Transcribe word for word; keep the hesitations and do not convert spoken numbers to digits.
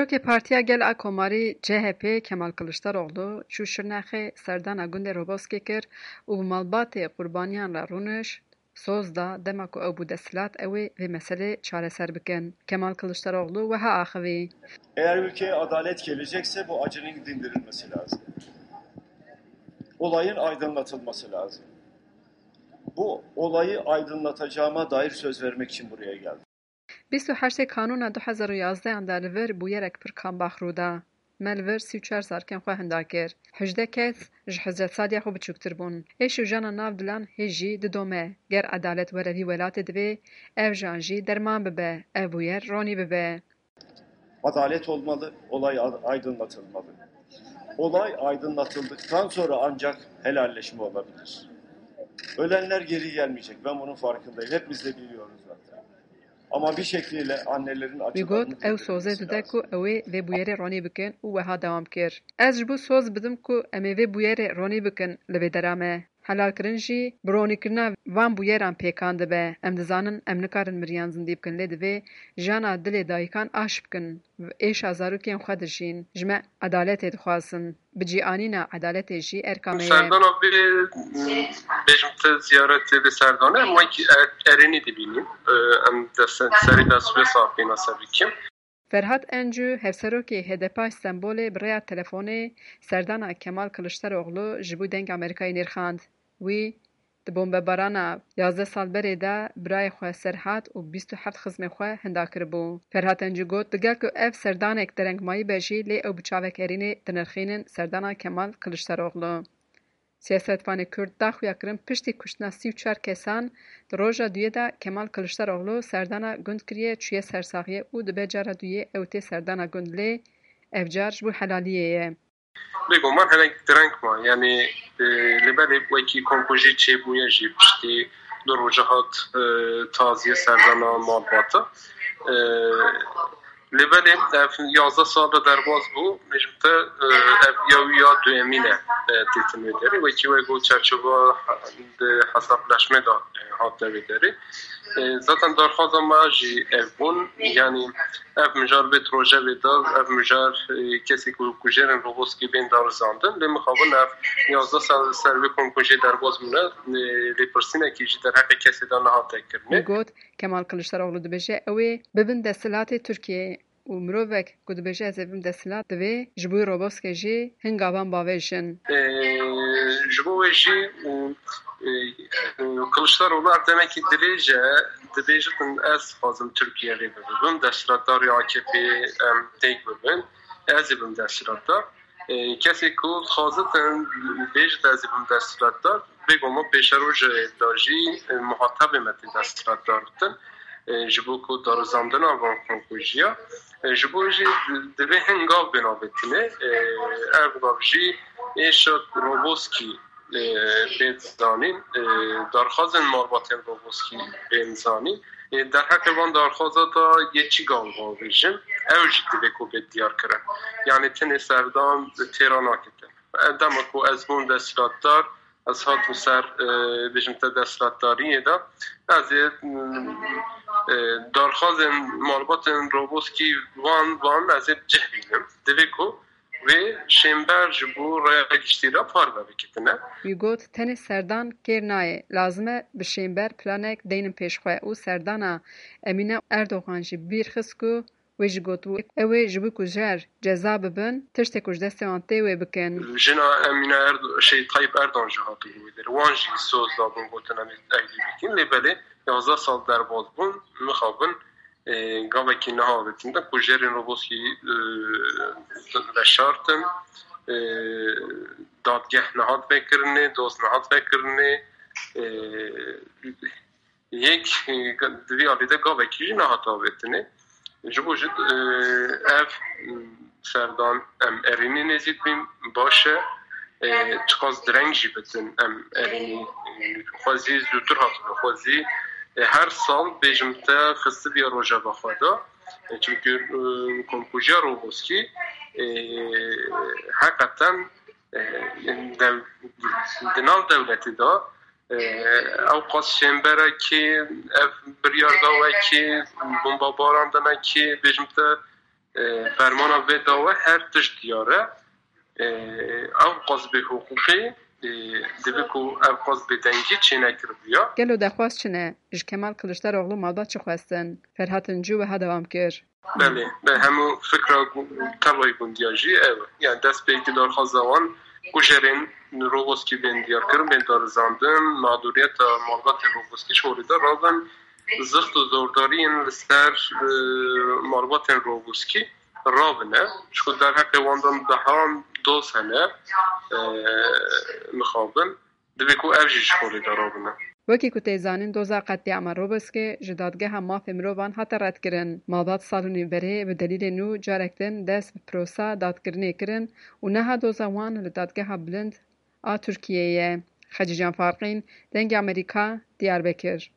Partiya Gel a Komarî C H P Kemal Kiliçdaroglu çû Şirnexê serdana gundê Roboskê kir û bi malbatê qurbaniyan re rûniş, soz da dema ku ew bû desthilat ew ê vê meselê çareser bikin. Kemal Kiliçdaroglu wiha axivî. Eğer ülkeye adalet gelecekse bu acının dindirilmesi lazım. Olayın aydınlatılması lazım. Bu olayı aydınlatacağıma dair söz vermek için buraya geldim. Bîst û heştê Kanûna du hezar û yazdehan de li vir bûyerek pir kambax rû da. Me li vir sî û çar zarokên xwe hinda kir. Hejdeh kes ji hizretsaliya xwe biçûktir bûn. Êş û jana nav dilan hê jî didome. Ger edalet were vî welatê divê ev jan jî derman bibe, ev bûyer ronî bibe. Adalet olmalı, olay a-, aydınlatılmalı. Olay aydınlatıldıktan sonra ancak helalleşme olabilir. Ölenler geri gelmeyecek. Ben bunun farkındayım. Hepimiz de biliyoruz zaten. Ama bir şekliyle annelerin Wî got, acılarını ew soze dindirmesi dide lazım. Ku ew ê vê bûyerê ronî bikin û wiha dewam kir. Ez ji bo soz bidim ku em ê vê bûyerê ronî bikin li vê dera me. Helalkirin jî bi ronîkirina van bûyeran pêkan dibe. Em dizanin em nikarin miriyan zindî bikin, lê divê jana dilê dayikan aş bikin. Êşa zarokên xwe dijîn. Ji me edaletê dixwazin. Bi cîanîna edaletê jî erka me ye. Serdana vê, bêjim te ziyaretê vê serdane, em wekî er-, erênî dibînin. Em dest-, serî dest vê safîna ser bikin. Ferhat Encû, hevserokê H D P a Stenbolê bi rêya telefonê serdana Kemal Kiliçdaroglu ji bo Deng Amerîkayê nirxand. Wî, di bombebarana yazdeh sal berê de birayê xwe Serhat û bîst û heft xizmê xwe hinda kiribû. Ferhat Encû got, digel ku ev serdanek derengmayî be jî, lê ew bi çavek erênê dinirxînin serdana Kemal Kiliçdaroglu. Siyasetvanê Kurd da xuyakirin piştî kuştina sî û çar kesan di roja duyê de Kemal Kiliçdaroglu serdana gund kiriye, çûye sersaxiyê û dibe cara duyê ew tê serdana gund, lê ev car ji bo helaliyê ye. Bêguman hinek direng ma, yanî, e, li belê wekî komkujî çêbûye jî piştî du roja hat, e, taziyê serdana malbata. E, Lê belê ev yazdeh sal de derbas bû, bêjim te, e, ev ya wî ya duyemîn e, e, têtin wê derê. Wekî we got çerçeva di hesaplaşmê de, e, hate wê derê. E, zaten darxwaza me jî ev bûn, yanî ev mijar vê rojevê de, ev mijar, e, kesê ku kujerên Roboskî bên darizandin. Lê mixabin ev yazdeh sal ser vê komkujê derbas bûne, e, lêpirsînekî jî derheqê kesê de nehate kirinê. Wî got, Kemal Kiliçdaroglu dibêje, ew ê bibin desthilatê Tirkiyeyê û mirovek ku dibêje ez ê bim desthilat, divê ji bo Roboskê jî hin gavan bavêjin. Ee, ji bo wê jî, e, e, Kiliçdaroglu ev demekî dirêj e, dibêjitin ez dixwazim Tirkiye rê bibim, desthilatdarê A K P em têk bibin, ez ê bim desthilatdar. E, kesê ku dixwazitin bêjit ez ê bim desthilatdar, bêguman pêşerojê de jî, e, muhatebê me tê desthilatdar ditin. E, ji bo ku darizandina van komkujiya, e, ji bo jî divê hin gav bên avêtine. E, ev gav jî êşa Roboskî, e, bên zanîn, e, darxazên malbatên Roboskî bên zanîn. E, derheqê van darxaza da yê çi gav bavêjin, ew jî divê ku bê diyar kirin. Yanî tenê serdan têra nakitin. Dema ku ez bûm desthilatdar, ez hatim ser, e, bêjim te desthilatdariyê de, ez ê, e, darxazên malbatên Roboskî van, van ez ê bi cih bînim. Divê ku vê şênber ji bo raya giştî re parve bikitine. Wî got, tenê serdan kêr nayê. Lazim e bi şênber planek deynin pêş xwe û serdana Emîne Erdogan jî bîr xist ku Wê jî gotibû, ew ê ji bo ku jer ceza bibin, tiştê ku ji destê wan tê wê bikin. Jina Emîne Erdo-, şey, Tayyip Erdogan jî hatibû wê derê. Wan jî soz dabûn, gotin em ê eylî bikin. Lê belê yazdeh sal derbas bûn, mixabin, e, gavekî niha avêtin de ku jerên Roboskî, e, veşartin, e, dadgeh nehat vekirinê, doz nehat vekirinê, e, Yek, e, di vî alî de gavekî jî nehate avêtinê. Ji bo jî, e, ev, m, serdan em erênî nêzîk bîn, baş e. E, çiqas direng jî bitin, em erênî, e, xwezî zûtir hatibû, xwezî, e, her sal bêjim te xistibiye rojeva xwe de. E, çimkî, e, komkujiya Roboskî, e, heqeten, e, dev-, di nav dewletê de, e, ew qas şênberekî, ev biryar da wekî, bombabaran danekî, bêjim te, E, fermana vê dawe her tişt diyar e. E, ew qasbê hiqûqê, e, divê ku ev qasbê dengî çênekiribiya. Gelo dexwaz çi ne? Ji Kemal Kiliçdaroglu malbat çi xwestin? Ferhat Încû wiha dewam kir. Belê, be hemû fikra gu-, tevayî gundiya jî ew e. Yani destpêkî darxwaza wan kujerên Roboskî bên diyarkirin, bên darizandin, mağduriyeta malbatên Roboskî ji holê de rabin, zixt û zordariyên li ser, e, malbatên Roboskî rabine. Ji ku derheqê wan de mehan doz hene, e, mixabin. Divê ku ev jî ji holê de rabine. Wekî ku tê zanîn, doza qetlîama Roboskê ji Dadgeha Mafê Mirovan hate redkirin. Malbat salonê berê bi delîlê nû carek din dest bi prosa dadkirinê kirin û niha doza wan li Dadgeha Bilind a Tirkiyeyê ye. Xecîcan Farqîn, Dengê Amerîka, Diyarbekir.